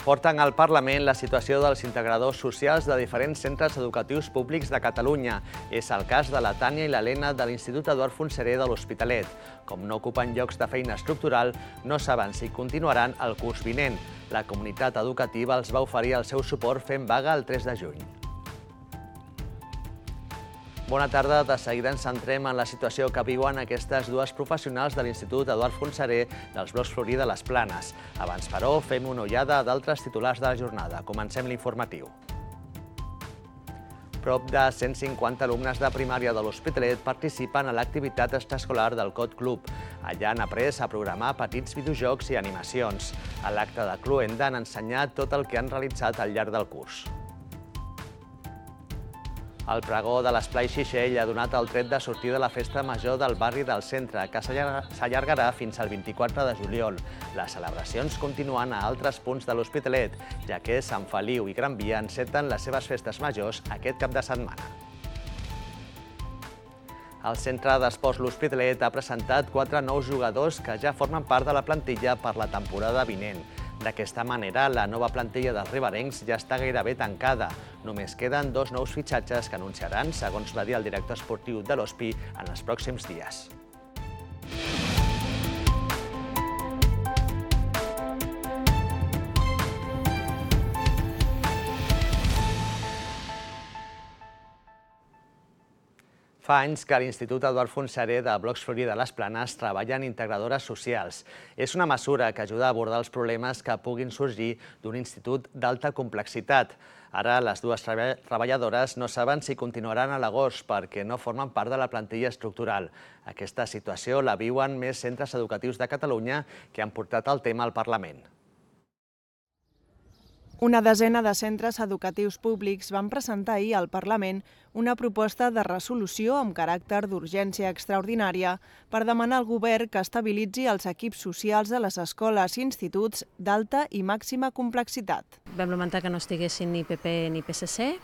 Porten al Parlament la situació dels integradors socials de diferents centres educatius públics de Catalunya. És el cas de la Tània i l'Helena de l'Institut Eduard Fontserè de l'Hospitalet. Com no ocupen llocs de feina estructural, no saben si continuaran el curs vinent. La comunitat educativa els va oferir el seu suport fent vaga el 3 de juny. Bona tarda. De seguida ens centrem en la situació que viuen aquestes dues professionals de l'Institut Eduard Fontserè dels blocs Florí de les Planes. Abans, però, fem una ullada d'altres titulars de la jornada. Comencem l'informatiu. Prop de 150 alumnes de primària de l'Hospitalet participen a l'activitat extraescolar del Code Club. Allà han après a programar petits videojocs i animacions. A l'acte de cloenda han ensenyat tot el que han realitzat al llarg del curs. El pregó de l'Esplai Xixell ha donat el tret de sortir de la festa major del barri del centre, que s'allargarà fins al 24 de juliol. Les celebracions continuen a altres punts de l'Hospitalet, ja que Sant Feliu i Gran Via enceten les seves festes majors aquest cap de setmana. El Centre d'Esports L'Hospitalet ha presentat 4 nous jugadors que ja formen part de la plantilla per la temporada vinent. D'aquesta manera, la nova plantilla dels riberencs ja està gairebé tancada. Només queden 2 nous fitxatges que anunciaran, segons va dir el director esportiu de l'Hospi, en els pròxims dies. Fa anys que l'Institut Eduard Fontserè de Blocs Florí de les Planes treballa en integradores socials. És una mesura que ajuda a abordar els problemes que puguin sorgir d'un institut d'alta complexitat. Ara, les dues treballadores no saben si continuaran a l'agost perquè no formen part de la plantilla estructural. Aquesta situació la viuen més centres educatius de Catalunya que han portat el tema al Parlament. Una desena de centres educatius públics van presentar ahir al Parlament una proposta de resolució amb caràcter d'urgència extraordinària per demanar al govern que estabilitzi els equips socials de les escoles i instituts d'alta i màxima complexitat. Vam lamentar que no estiguessin ni PP ni PSC.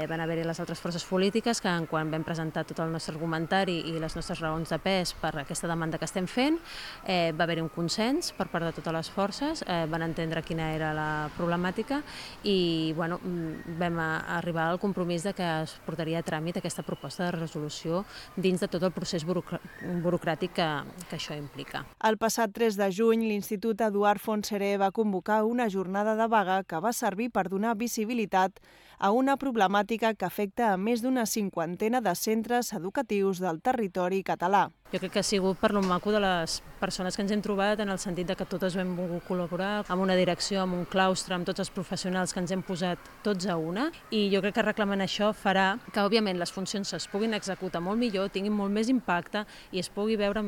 Van haver-hi les altres forces polítiques que, quan vam presentar tot el nostre argumentari i les nostres raons de pes per aquesta demanda que estem fent, va haver-hi un consens per part de totes les forces, van entendre quina era la problemàtica i vam arribar al compromís de que es portaria a tràmit aquesta proposta de resolució dins de tot el procés burocràtic que això implica. El passat 3 de juny, l'Institut Eduard Fontserè va convocar una jornada de vaga que va servir per donar visibilitat a una problemàtica que afecta a més d'una 50ena de centres educatius del territori català. Jo crec que ha sigut per lo maco de les persones que ens hem trobat, en el sentit que totes hem volgut col·laborar amb una direcció, amb un claustre, amb tots els professionals que ens hem posat tots a una, i jo crec que reclamant això farà que, òbviament, les funcions es puguin executar molt millor, tinguin molt més impacte i es pugui veure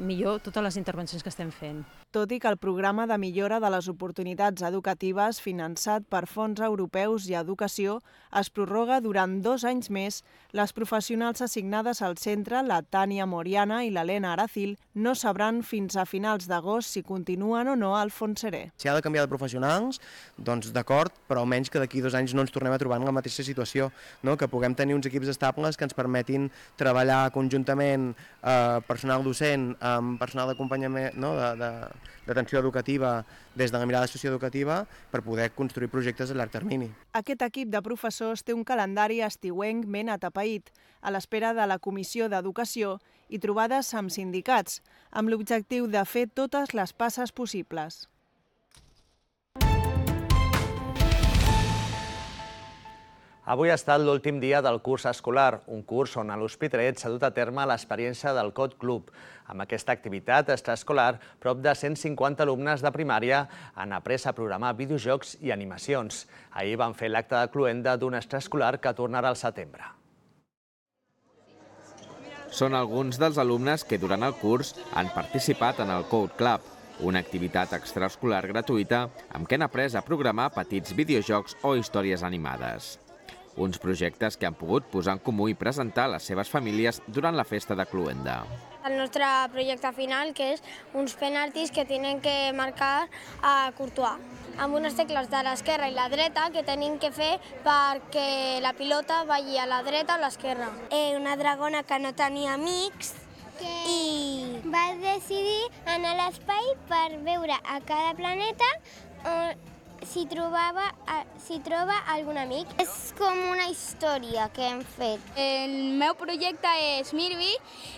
millor totes les intervencions que estem fent. Tot i que el programa de millora de les oportunitats educatives finançat per fons europeus i educació es prorroga durant 2 anys més, les professionals assignades al centre, la Tània Moriana i l'Helena Aracil, no sabran fins a finals d'agost si continuen o no al Fontserè. Si ha de canviar de professionals, doncs d'acord, però almenys que d'aquí 2 anys no ens tornem a trobar en la mateixa situació, que puguem tenir uns equips estables que ens permetin treballar conjuntament personal docent amb personal d'acompanyament, d'atenció educativa des de la mirada socioeducativa per poder construir projectes a llarg termini. Aquest equip de professors té un calendari estiuenc ben atapeït, a l'espera de la Comissió d'Educació i trobades amb sindicats, amb l'objectiu de fer totes les passes possibles. Avui ha estat l'últim dia del curs escolar, un curs on a l'Hospitalet s'ha dut a terme l'experiència del Code Club. Amb aquesta activitat extraescolar, prop de 150 alumnes de primària han après a programar videojocs i animacions. Ahir van fer l'acte de cloenda d'un extraescolar que tornarà al setembre. Són alguns dels alumnes que durant el curs han participat en el Code Club, una activitat extraescolar gratuïta amb què han après a programar petits videojocs o històries animades. Uns projectes que han pogut posar en comú i presentar a les seves famílies durant la festa de cloenda. El nostre projecte final, que és uns penaltis que tenen que marcar a Courtois, amb unes tecles de l'esquerra i la dreta que tenim que fer perquè la pilota vagi a la dreta o a l'esquerra. Una dragona que no tenia amics i va decidir anar a l'espai per veure a cada planeta si troba algun amic. És com una història que hem fet. El meu projecte és Mirby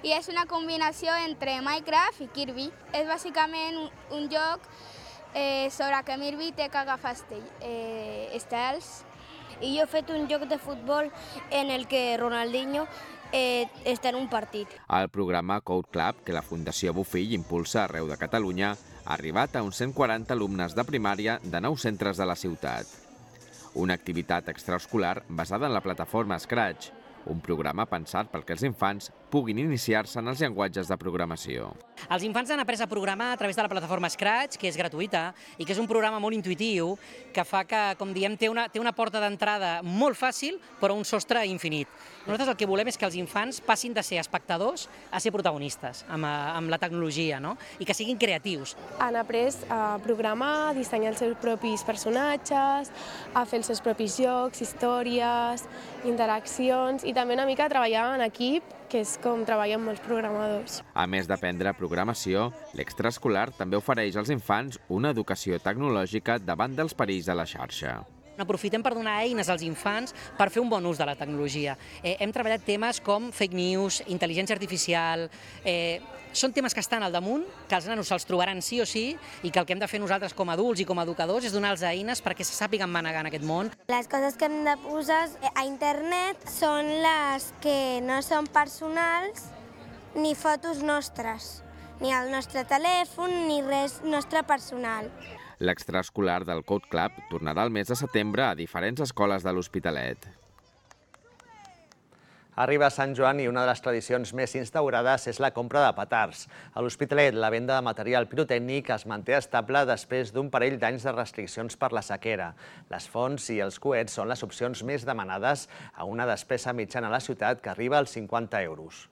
i és una combinació entre Minecraft i Kirby. És bàsicament un joc sobre que Mirby té que agafar estels. I jo he fet un joc de futbol en el que Ronaldinho està en un partit. El programa Code Club, que la Fundació Bofill impulsa arreu de Catalunya, ha arribat a uns 140 alumnes de primària de 9 centres de la ciutat. Una activitat extraescolar basada en la plataforma Scratch, un programa pensat perquè els infants puguin iniciar-se en els llenguatges de programació. Els infants han après a programar a través de la plataforma Scratch, que és gratuïta i que és un programa molt intuïtiu que fa que, com diem, té una porta d'entrada molt fàcil però un sostre infinit. Nosaltres el que volem és que els infants passin de ser espectadors a ser protagonistes amb la tecnologia, no? I que siguin creatius. Han après a programar, a dissenyar els seus propis personatges, a fer els seus propis jocs, històries, interaccions i també una mica a treballar en equip, que és com treballen molts programadors. A més d'aprendre programació, l'extraescolar també ofereix als infants una educació tecnològica davant dels perills de la xarxa. Aprofitem per donar eines als infants per fer un bon ús de la tecnologia. Hem treballat temes com fake news, intel·ligència artificial. Són temes que estan al damunt, que els nanos se'ls trobaran sí o sí i que el que hem de fer nosaltres com a adults i com a educadors és donar-los eines perquè se sàpiguen manegar en aquest món. Les coses que hem de posar a internet són les que no són personals ni fotos nostres, ni el nostre telèfon, ni res nostre personal. L'extraescolar del Code Club tornarà el mes de setembre a diferents escoles de l'Hospitalet. Arriba Sant Joan i una de les tradicions més instaurades és la compra de petards. A l'Hospitalet, la venda de material pirotècnic es manté estable després d'un parell d'anys de restriccions per la sequera. Les fonts i els coets són les opcions més demanades a una despesa mitjana a la ciutat que arriba als 50 euros.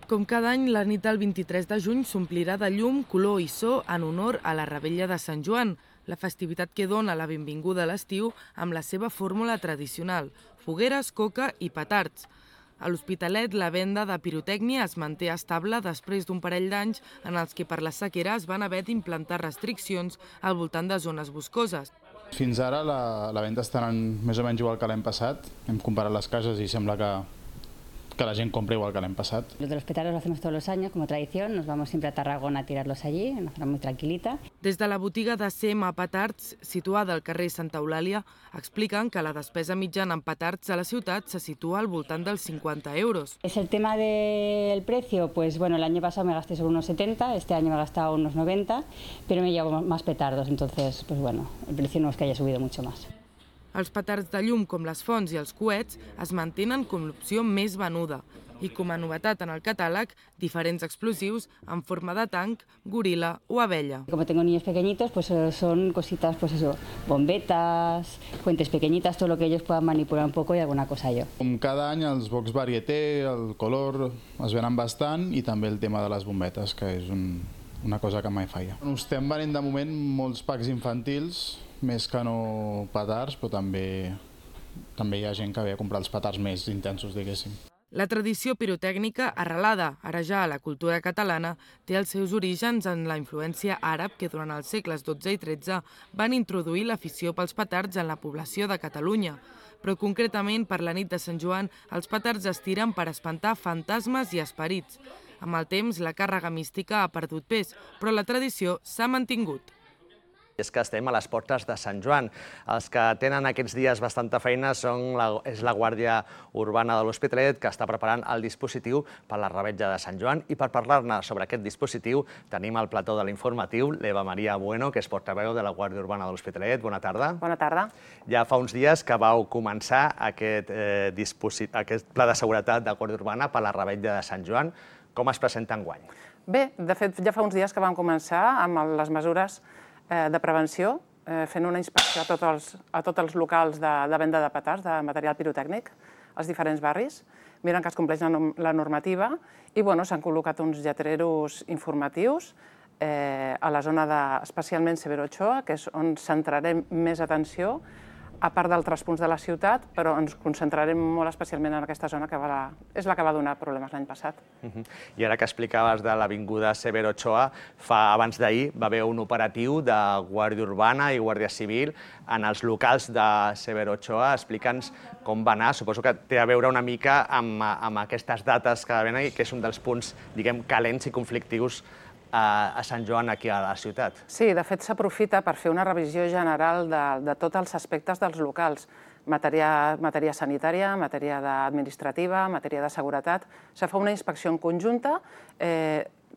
Com cada any, la nit del 23 de juny s'omplirà de llum, color i so en honor a la Revetlla de Sant Joan, la festivitat que dona la benvinguda a l'estiu amb la seva fórmula tradicional, fogueres, coca i petards. A l'Hospitalet, la venda de pirotècnia es manté estable després d'un parell d'anys en els que per la sequera es van haver d'implantar restriccions al voltant de zones boscoses. Fins ara la venda està anant més o menys igual que l'any passat. Hem comparat les cases i sembla que la gent compra igual que l'any passat. Lo de los petardos lo hacemos todos los años como tradición, nos vamos siempre a Tarragona a tirarlos allí, en una zona muy tranquilita. Des de la botiga de CM Petards, situada al carrer Santa Eulàlia, expliquen que la despesa mitjana en petards a la ciutat se situa al voltant dels 50 euros. Es el tema del precio, pues bueno, el año pasado me gasté sobre unos 70, este año me he gastado unos 90, pero me llevo más petardos, entonces, pues bueno, el precio no es que haya subido mucho más. Els petards de llum, com les fonts i els coets, es mantenen com l'opció més venuda i, com a novetat en el catàleg, diferents explosius en forma de tanc, goril·la o abella. Como tengo niños pequeñitos, pues son cositas, pues eso, bombetas, fuentes pequeñitas, todo lo que ellos puedan manipular un poco y alguna cosa yo. Com cada any, els box varieté, el color, es venen bastant i també el tema de les bombetes, que és una cosa que mai falla. Estem venent de moment molts packs infantils, més que no petards, però també hi ha gent que ve a comprar els petards més intensos, diguéssim. La tradició pirotècnica, arrelada ara ja a la cultura catalana, té els seus orígens en la influència àrab que durant els segles XII i XIII van introduir l'afició pels petards en la població de Catalunya. Però concretament per la nit de Sant Joan, els petards es tiren per espantar fantasmes i esperits. Amb el temps, la càrrega mística ha perdut pes, però la tradició s'ha mantingut. És que estem a les portes de Sant Joan. Els que tenen aquests dies bastanta feina és la Guàrdia Urbana de l'Hospitalet, que està preparant el dispositiu per la Revetlla de Sant Joan. I per parlar-ne sobre aquest dispositiu tenim al plató de l'informatiu l'Eva Maria Bueno, que és portaveu de la Guàrdia Urbana de l'Hospitalet. Bona tarda. Bona tarda. Ja fa uns dies que vau començar aquest pla de seguretat de Guàrdia Urbana per la Revetlla de Sant Joan. Com es presenta enguany? Bé, de fet, ja fa uns dies que vam començar amb les mesures de prevenció, fent una inspecció a tots els locals de venda de petards, de material pirotècnic, als diferents barris, miren que es compleix la normativa i s'han col·locat uns lletreros informatius a la zona especialment Severo Ochoa, que és on centrarem més atenció a part d'altres punts de la ciutat, però ens concentrarem molt especialment en aquesta zona que és la que va donar problemes l'any passat. I ara que explicaves de l'avinguda Severo Ochoa, abans d'ahir va haver un operatiu de Guàrdia Urbana i Guàrdia Civil en els locals de Severo Ochoa. Explica'ns com va anar. Suposo que té a veure una mica amb aquestes dates que venen i que és un dels punts, diguem, calents i conflictius a Sant Joan, aquí a la ciutat. Sí, de fet s'aprofita per fer una revisió general de tots els aspectes dels locals. Matèria sanitària, matèria administrativa, matèria de seguretat. Se fa una inspecció en conjunta.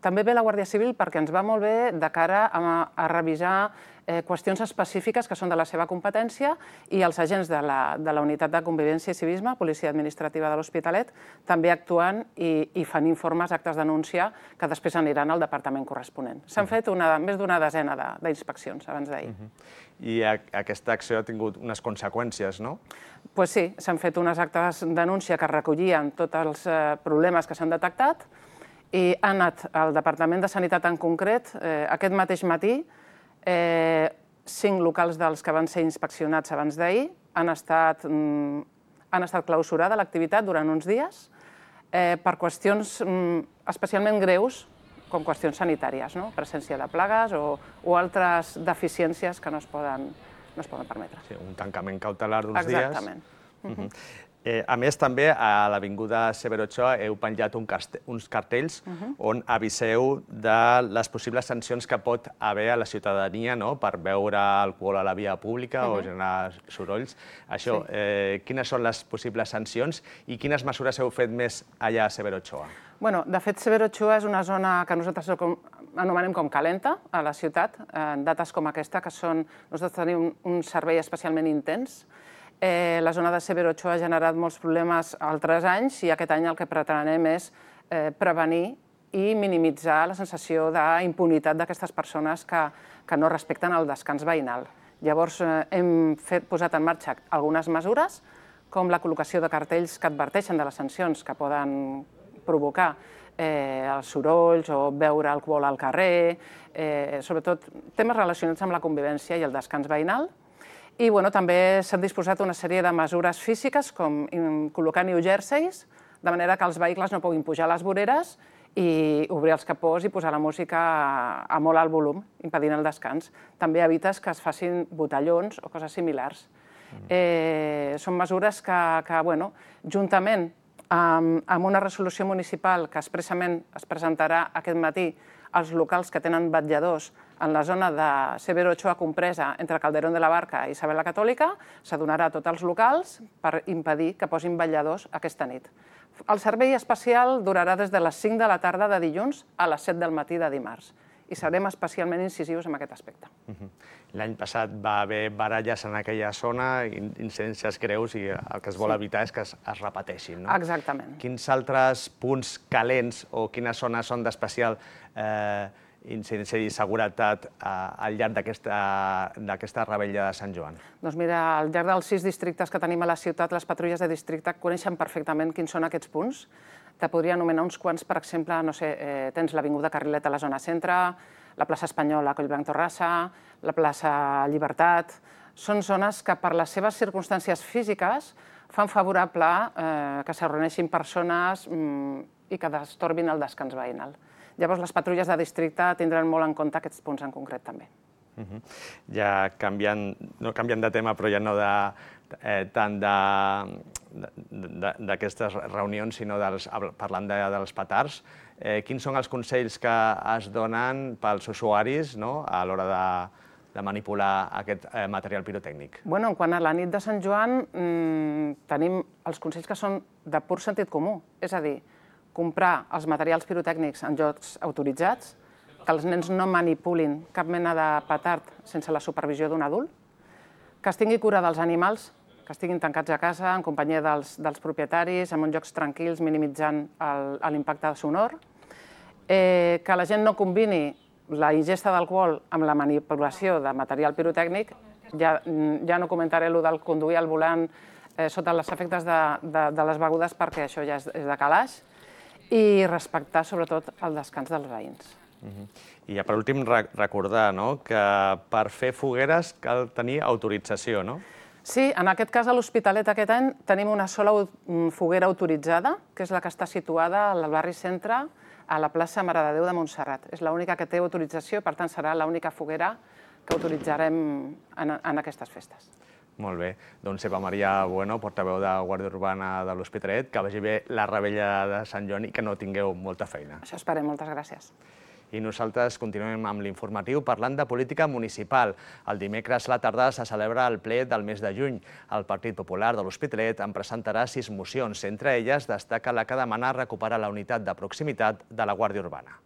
També ve la Guàrdia Civil perquè ens va molt bé de cara a revisar qüestions específiques que són de la seva competència i els agents de la Unitat de Convivència i Civisme, Policia Administrativa de l'Hospitalet, també actuant i fan informes, actes de denúncia, que després aniran al departament corresponent. S'han fet més d'una desena d'inspeccions abans d'ahir. I aquesta acció ha tingut unes conseqüències, no? Doncs sí, s'han fet unes actes de denúncia que recollien tots els problemes que s'han detectat i ha anat al Departament de Sanitat en concret aquest mateix matí. 5 locals dels que van ser inspeccionats abans d'ahir han estat clausurada l'activitat durant uns dies per qüestions especialment greus, com qüestions sanitàries, presència de plagues o altres deficiències que no es poden permetre. Sí, un tancament cautelar d'uns dies. Exactament. A més, també a l'avinguda Severo Ochoa heu penjat uns cartells on aviseu de les possibles sancions que pot haver a la ciutadania per beure alcohol a la via pública o generar sorolls. Això, quines són les possibles sancions i quines mesures heu fet més allà a Severo Ochoa? De fet, Severo Ochoa és una zona que nosaltres anomenem com calenta a la ciutat, en dates com aquesta, que nosaltres tenim un servei especialment intens. La zona de Severo Ochoa ha generat molts problemes altres anys i aquest any el que pretenem és prevenir i minimitzar la sensació d'impunitat d'aquestes persones que no respecten el descans veïnal. Llavors hem posat en marxa algunes mesures, com la col·locació de cartells que adverteixen de les sancions que poden provocar els sorolls o beure alcohol al carrer, sobretot temes relacionats amb la convivència i el descans veïnal. I també s'han disposat una sèrie de mesures físiques, com col·locar new jerseys, de manera que els vehicles no puguin pujar a les voreres i obrir els capós i posar la música a molt alt volum, impedint el descans. També evites que es facin botellons o coses similars. Són mesures que, juntament amb una resolució municipal que expressament es presentarà aquest matí als locals que tenen vetlladors en la zona de Severo Ochoa compresa entre Calderón de la Barca i Isabel la Catòlica, s'adonarà a tots els locals per impedir que posin vetlladors aquesta nit. El servei especial durarà des de les 5 de la tarda de dilluns a les 7 del matí de dimarts i serem especialment incisius en aquest aspecte. L'any passat va haver baralles en aquella zona, incidències greus, i el que es vol evitar és que es repeteixin. Exactament. Quins altres punts calents o quines zones són d'especial incidència i seguretat al llarg d'aquesta revetlla de Sant Joan? Doncs mira, al llarg dels 6 districtes que tenim a la ciutat, les patrulles de districte coneixen perfectament quins són aquests punts. Te podria anomenar uns quants, per exemple, tens l'Avinguda Carrilet a la zona centre, la plaça Espanyola a Collblanc Torrassa, la plaça Llibertat. Són zones que, per les seves circumstàncies físiques, fan favorable que s'hi reuneixin persones i que destorbin el descans veïnal. Llavors, les patrulles de districte tindran molt en compte aquests punts en concret, també. Ja canviant de tema, però ja no tant d'aquestes reunions, sinó parlant dels petards, quins són els consells que es donen pels usuaris a l'hora de manipular aquest material pirotècnic? En quant a la nit de Sant Joan, tenim els consells que són de pur sentit comú, és a dir, comprar els materials pirotècnics en llocs autoritzats, que els nens no manipulin cap mena de petard sense la supervisió d'un adult, que es tingui cura dels animals, que estiguin tancats a casa en companyia dels propietaris, en uns llocs tranquils, minimitzant l'impacte sonor, que la gent no combini la ingesta d'alcohol amb la manipulació de material pirotècnic. Ja no comentaré allò del conduir al volant sota els efectes de les begudes, perquè això ja és de calaix, i respectar sobretot el descans dels veïns. I ja per últim recordar que per fer fogueres cal tenir autorització, no? Sí, en aquest cas a l'Hospitalet aquest any tenim una sola foguera autoritzada, que és la que està situada al barri Centre, a la plaça Mare de Déu de Montserrat. És l'única que té autorització, per tant serà l'única foguera que autoritzarem en aquestes festes. Molt bé. Doncs Eva Maria Bueno, portaveu de Guàrdia Urbana de l'Hospitalet, que vagi bé la revetlla de Sant Joan i que no tingueu molta feina. Això esperem, moltes gràcies. I nosaltres continuem amb l'informatiu parlant de política municipal. El dimecres a la tarda se celebra el ple del mes de juny. El Partit Popular de l'Hospitalet en presentarà 6 mocions. Entre elles destaca la que demana recuperar la unitat de proximitat de la Guàrdia Urbana.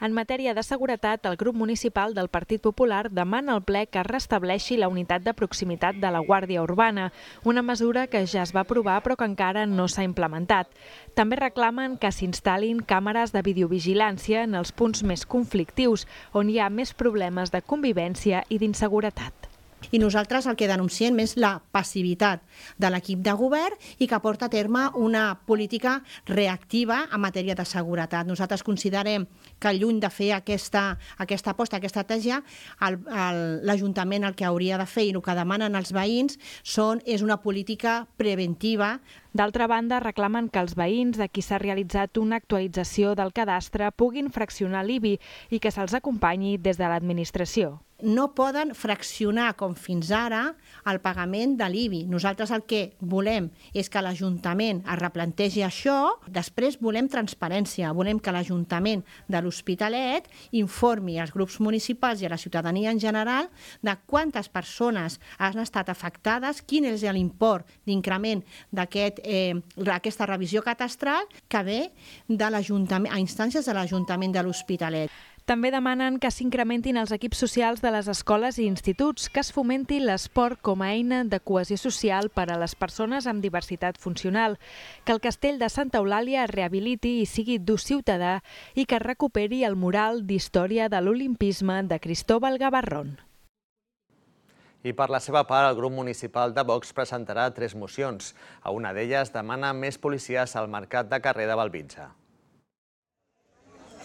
En matèria de seguretat, el grup municipal del Partit Popular demana al ple que es restableixi la unitat de proximitat de la Guàrdia Urbana, una mesura que ja es va aprovar però que encara no s'ha implementat. També reclamen que s'instal·lin càmeres de videovigilància en els punts més conflictius, on hi ha més problemes de convivència i d'inseguretat. I nosaltres el que denunciem és la passivitat de l'equip de govern i que porta a terme una política reactiva en matèria de seguretat. Nosaltres considerem que lluny de fer aquesta aposta, aquesta estratègia, l'Ajuntament el que hauria de fer i el que demanen els veïns és una política preventiva. D'altra banda, reclamen que els veïns de qui s'ha realitzat una actualització del cadastre puguin fraccionar l'IBI i que se'ls acompanyi des de l'administració. No poden fraccionar, com fins ara, el pagament de l'IBI. Nosaltres el que volem és que l'Ajuntament es replantegi això. Després volem transparència. Volem que l'Ajuntament de l'Hospitalet informi als grups municipals i a la ciutadania en general de quantes persones han estat afectades, quin és l'import d'increment d'aquesta revisió catastral que ve a instàncies de l'Ajuntament de l'Hospitalet. També demanen que s'incrementin els equips socials de les escoles i instituts, que es fomenti l'esport com a eina de cohesió social per a les persones amb diversitat funcional, que el castell de Santa Eulàlia es rehabiliti i sigui d'ús ciutadà i que es recuperi el mural d'història de l'olimpisme de Cristóbal Gavarrón. I per la seva part, el grup municipal de Vox presentarà 3 mocions. A una d'elles demana més policies al mercat de carrer de Bellvitge.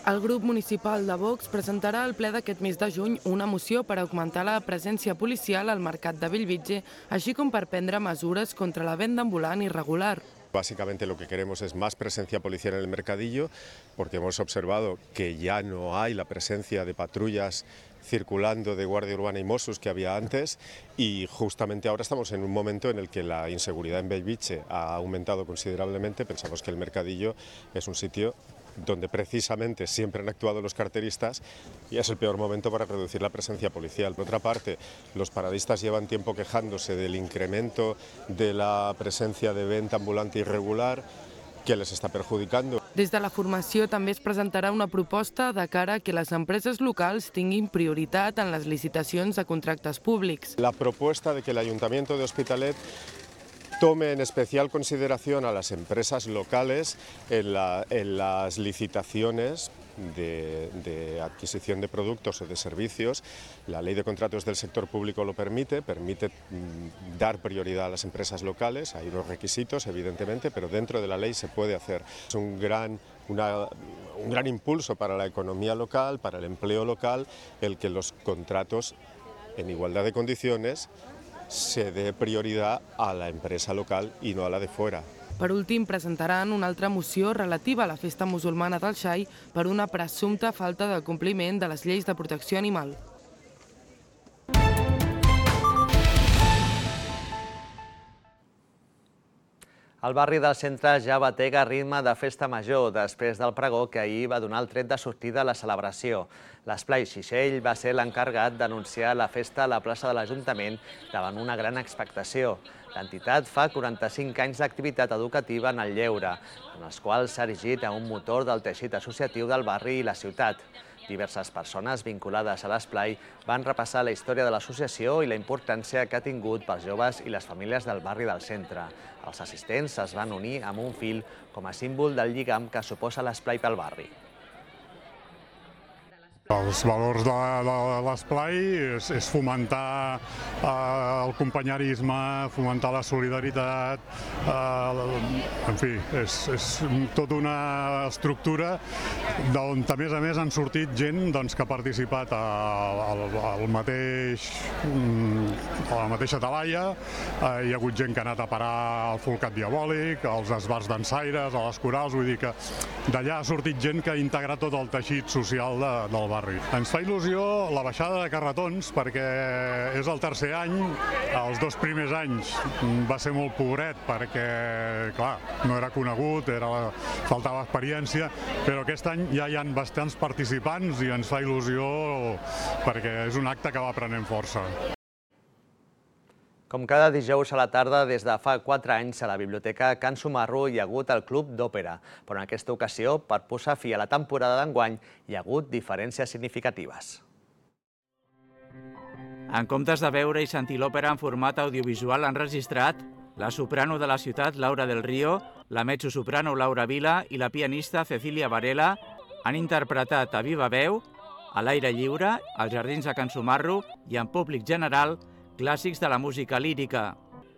El grup municipal de Vox presentarà al ple d'aquest mes de juny una moció per augmentar la presència policial al mercat de Bellvitge, així com per prendre mesures contra la venda ambulant irregular. Básicamente lo que queremos es más presencia policial en el mercadillo, porque hemos observado que ya no hay la presencia de patrullas circulando de Guardia Urbana y Mossos que había antes, y justamente ahora estamos en un momento en el que la inseguridad en Bellvitge ha aumentado considerablemente. Pensamos que el mercadillo es un sitio donde precisamente siempre han actuado los carteristas y es el peor momento para reducir la presencia policial. Por otra parte, los paradistas llevan tiempo quejándose del incremento de la presencia de venta ambulante irregular que les està perjudicant. Des de la formació també es presentarà una proposta de cara a que les empreses locals tinguin prioritat en les licitacions de contractes públics. La propuesta de que el Ayuntamiento de Hospitalet tome en especial consideración a las empresas locales en las licitaciones de adquisición de productos o de servicios. La ley de contratos del sector público lo permite dar prioridad a las empresas locales. Hay unos requisitos, evidentemente, pero dentro de la ley se puede hacer. Es un gran impulso para la economía local, para el empleo local, el que los contratos en igualdad de condiciones se dé prioridad a la empresa local i no a la de fuera. Per últim, presentaran una altra moció relativa a la festa musulmana del Xai per una presumpta falta de compliment de les lleis de protecció animal. El barri del centre ja batega ritme de festa major després del pregó que ahir va donar el tret de sortida a la celebració. L'Esplai Xixell va ser l'encarregat d'anunciar la festa a la plaça de l'Ajuntament davant una gran expectació. L'entitat fa 45 anys d'activitat educativa en el lleure, en els quals s'ha erigit a un motor del teixit associatiu del barri i la ciutat. Diverses persones vinculades a l'Esplai van repassar la història de l'associació i la importància que ha tingut pels joves i les famílies del barri del centre. Els assistents es van unir amb un fil com a símbol del lligam que suposa l'Esplai pel barri. Els valors de l'esplai és fomentar el companyerisme, fomentar la solidaritat, en fi, és tota una estructura d'on a més han sortit gent que ha participat a la mateixa talaia, hi ha hagut gent que ha anat a parar al Folcat Diabòlic, als esbars dansaires, a les corals, vull dir que d'allà ha sortit gent que ha integrat tot el teixit social del barri. Ens fa il·lusió la baixada de carretons perquè és el tercer any, els 2 primers anys va ser molt pobret perquè, clar, no era conegut, faltava experiència, però aquest any ja hi ha bastants participants i ens fa il·lusió perquè és un acte que va prenent força. Com cada dijous a la tarda, des de fa 4 anys, a la Biblioteca Can Sumarro hi ha hagut el Club d'Òpera, però en aquesta ocasió, per posar fi a la temporada d'enguany, hi ha hagut diferències significatives. En comptes de veure i sentir l'òpera en format audiovisual enregistrat, la soprano de la ciutat, Laura del Río, la mezzosoprano Laura Vila i la pianista Cecilia Varela han interpretat a viva veu, a l'aire lliure, als jardins de Can Sumarro i en públic general, clàssics de la música lírica.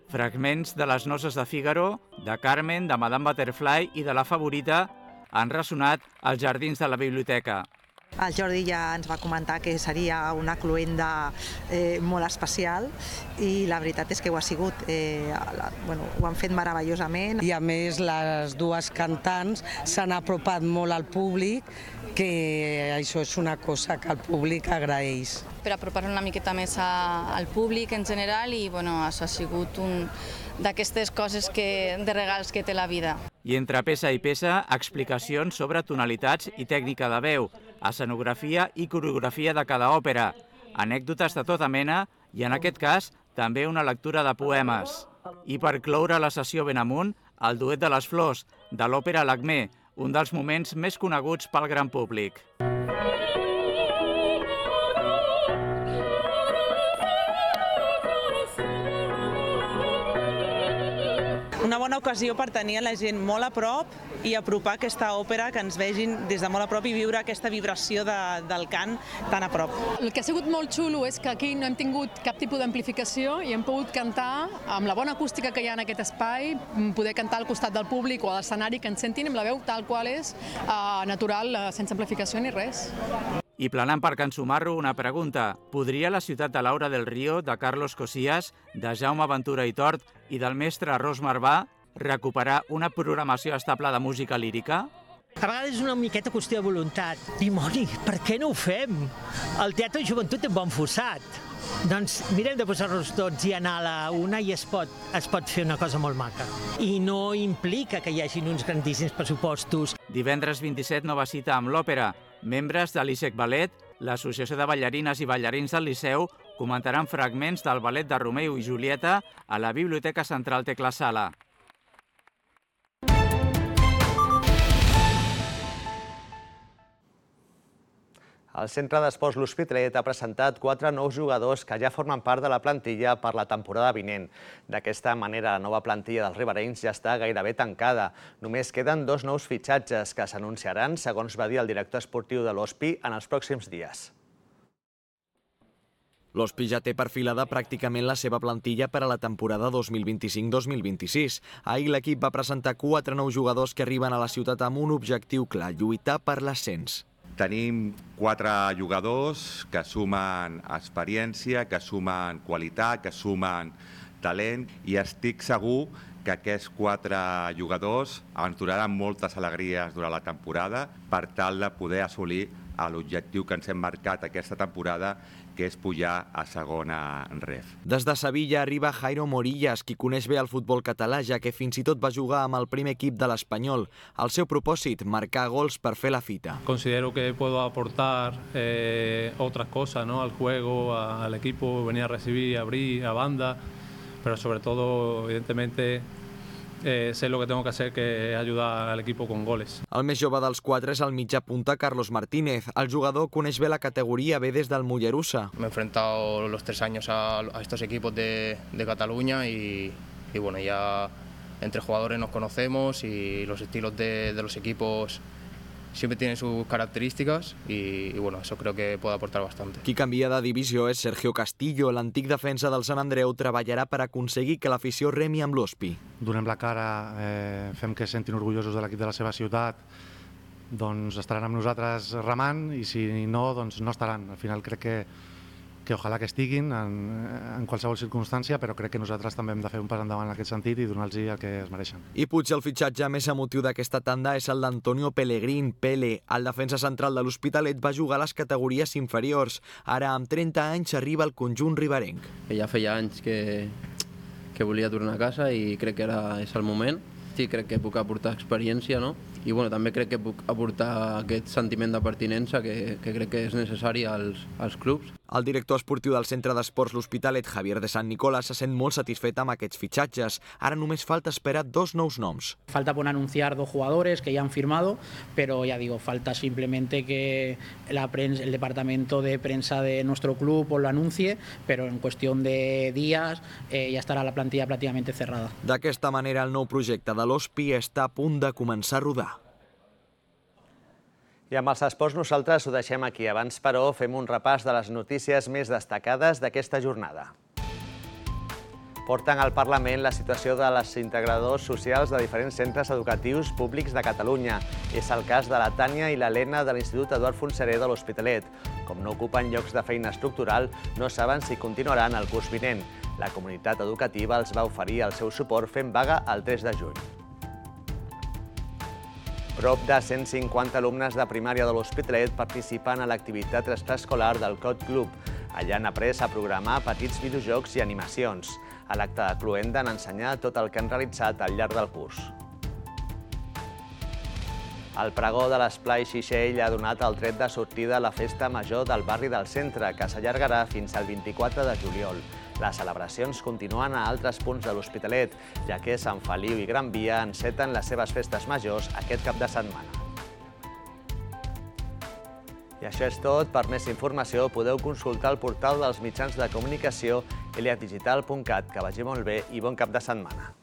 Fragments de les Noces de Fígaro, de Carmen, de Madame Butterfly i de La Favorita han ressonat als jardins de la biblioteca. El Jordi ja ens va comentar que seria una cloenda molt especial i la veritat és que ho ha sigut. Ho han fet meravellosament. I a més les dues cantants s'han apropat molt al públic, que això és una cosa que el públic agraeix. Per apropar una miqueta més al públic en general i això ha sigut un d'aquestes coses de regals que té la vida. I entre peça i peça, explicacions sobre tonalitats i tècnica de veu, escenografia i coreografia de cada òpera, anècdotes de tota mena i, en aquest cas, també una lectura de poemes. I per cloure la sessió ben amunt, el duet de les flors, de l'òpera L'Acmé, un dels moments més coneguts pel gran públic. Una bona ocasió per tenir la gent molt a prop i apropar aquesta òpera, que ens vegin des de molt a prop i viure aquesta vibració del cant tan a prop. El que ha sigut molt xulo és que aquí no hem tingut cap tipus d'amplificació i hem pogut cantar amb la bona acústica que hi ha en aquest espai, poder cantar al costat del públic o a l'escenari, que ens sentin amb la veu tal qual és, natural, sense amplificació ni res. I planant per Can Sumarro, una pregunta. Podria la ciutat de Laura del Río, de Carlos Cosías, de Jaume Ventura i Tort i del mestre Ros Marbà recuperar una programació estable de música lírica? A vegades és una miqueta qüestió de voluntat. Dimoni, per què no ho fem? El Teatre de Joventut és bon fossat. Doncs mirem de posar-nos tots i anar a la una i es pot fer una cosa molt maca. I no implica que hi hagin uns grandíssims pressupostos. Divendres 27, nova cita amb l'òpera. Membres de l'ISEC Ballet, l'Associació de Ballarines i Ballarins del Liceu, comentaran fragments del ballet de Romeu i Julieta a la Biblioteca Central Tecla Sala. El Centre d'Esports L'Hospitalet ha presentat 4 nous jugadors que ja formen part de la plantilla per la temporada vinent. D'aquesta manera, la nova plantilla dels riberencs ja està gairebé tancada. Només queden 2 nous fitxatges que s'anunciaran, segons va dir el director esportiu de l'Hospi, en els pròxims dies. L'Hospi ja té perfilada pràcticament la seva plantilla per a la temporada 2025-2026. Ahir l'equip va presentar 4 nous jugadors que arriben a la ciutat amb un objectiu clar, lluitar per l'ascens. Tenim 4 jugadors que sumen experiència, que sumen qualitat, que sumen talent i estic segur que aquests 4 jugadors ens donaran moltes alegries durant la temporada per tal de poder assolir l'objectiu que ens hem marcat aquesta temporada, que és pujar a segona ref. Des de Sevilla arriba Jairo Morillas, qui coneix bé el futbol català, ja que fins i tot va jugar amb el primer equip de l'Espanyol. El seu propòsit, marcar gols per fer la fita. Considero que puedo aportar otras cosas, ¿no? Al juego, al equipo, venir a recibir, abrir, a banda, pero sobre todo, evidentemente, sé lo que tengo que hacer, que es ayudar al equipo con goles. El més jove dels 4 és el mitjà punta Carlos Martínez. El jugador coneix bé la categoría B des del Mollerussa. Me he enfrentado los 3 años a estos equipos de Cataluña y bueno, ya entre jugadores nos conocemos y los estilos de los equipos siempre tiene sus características y bueno, eso creo que puede aportar bastante. Qui canvia de divisió és Sergio Castillo. L'antic defensa del Sant Andreu treballarà per aconseguir que l'afició remi amb l'Hospi. Donem la cara, fem que es sentin orgullosos de l'equip de la seva ciutat, doncs estaran amb nosaltres remant i si no, doncs no estaran. Al final crec que ojalà que estiguin en qualsevol circumstància, però crec que nosaltres també hem de fer un pas endavant en aquest sentit i donar-los el que es mereixen. I potser el fitxatge més emotiu d'aquesta tanda és el d'Antonio Pellegrín. Pele, el defensa central de l'Hospitalet, va jugar a les categories inferiors. Ara, amb 30 anys, arriba al conjunt riberenc. Ja feia anys que volia tornar a casa i crec que ara és el moment. Sí, crec que puc aportar experiència, no? I bueno, també crec que puc aportar aquest sentiment de pertinença que crec que és necessari als clubs. El director esportiu del Centre d'Esports L'Hospitalet, Javier de San Nicolás, se sent molt satisfet amb aquests fitxatges. Ara només falta esperar 2 nous noms. Falta por anunciar 2 jugadores que ya han firmado, pero ya digo, falta simplemente que el departamento de prensa de nuestro club lo anuncie, pero en cuestión de días ya estarà la plantilla prácticamente cerrada. D'aquesta manera, el nou projecte de l'Hospi està a punt de començar a rodar. I amb els esports nosaltres ho deixem aquí. Abans, però, fem un repàs de les notícies més destacades d'aquesta jornada. Porten al Parlament la situació de les integradors socials de diferents centres educatius públics de Catalunya. És el cas de la Tània i l'Helena de l'Institut Eduard Fontserè de l'Hospitalet. Com no ocupen llocs de feina estructural, no saben si continuaran el curs vinent. La comunitat educativa els va oferir el seu suport fent vaga el 3 de juny. Prop de 150 alumnes de primària de l'Hospitalet participen a l'activitat extraescolar del Code Club. Allà han après a programar petits videojocs i animacions. A l'acte de cloent han ensenyat tot el que han realitzat al llarg del curs. El pregó de l'Esplai Xixell ha donat el tret de sortida a la festa major del barri del centre, que s'allargarà fins al 24 de juliol. Les celebracions continuen a altres punts de l'Hospitalet, ja que Sant Feliu i Gran Via enceten les seves festes majors aquest cap de setmana. I això és tot. Per més informació podeu consultar el portal dels mitjans de comunicació eliatdigital.cat. Que vagi molt bé i bon cap de setmana.